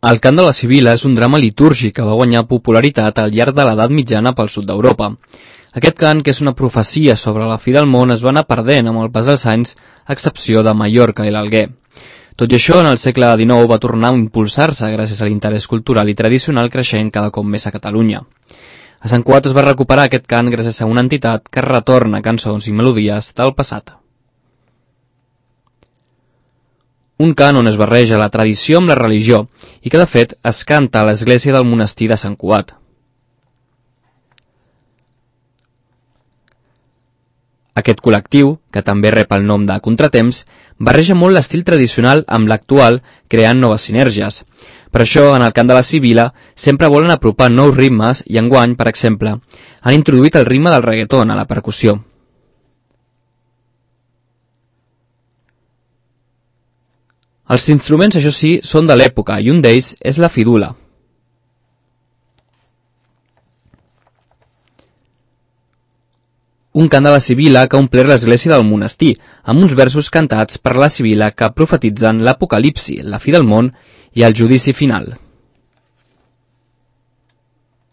El cant de la Sibila és un drama litúrgic que va guanyar popularitat al llarg de l'edat mitjana pel sud d'Europa. Aquest cant, que és una profecia sobre la fi del món, es va anar perdent amb el pas dels anys, a excepció de Mallorca i l'Alguer. Tot i això, en el segle XIX va tornar a impulsar-se gràcies a l'interès cultural i tradicional creixent cada cop més a Catalunya. A Sant Cugat es va recuperar aquest cant gràcies a una entitat que retorna cançons i melodies del passat. Un cant on es barreja la tradició amb la religió i que, de fet, es canta a l'església del monestir de Sant Cugat. Aquest col·lectiu, que també rep el nom de Contratemps, barreja molt l'estil tradicional amb l'actual, creant noves sinergies. Per això, en el cant de la Sibila, sempre volen apropar nous ritmes i enguany, per exemple, han introduït el ritme del reggaeton a la percussió. Els instruments, això sí, són de l'època i un d'ells és la fidula. Un cant de la Sibila que ha omplert l'església del monestir, amb uns versos cantats per la Sibila que profetitzen l'apocalipsi, la fi del món i el judici final.